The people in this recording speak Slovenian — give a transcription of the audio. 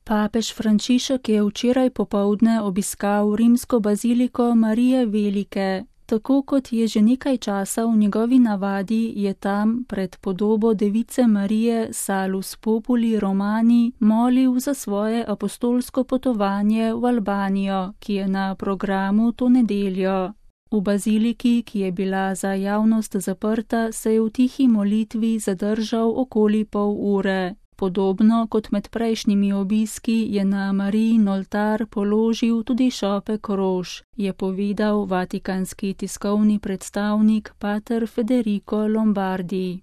Papež Frančišek je včeraj popoldne obiskal rimsko baziliko Marije Velike. Tako kot je že nekaj časa v njegovi navadi, je tam pred podobo Device Marije Salus Populi Romani molil za svoje apostolsko potovanje v Albanijo, ki je na programu to nedeljo. V baziliki, ki je bila za javnost zaprta, se je v tihi molitvi zadržal okoli pol ure. Podobno kot med prejšnjimi obiski je na Marijin oltar položil tudi šopek rož, je povedal vatikanski tiskovni predstavnik pater Federico Lombardi.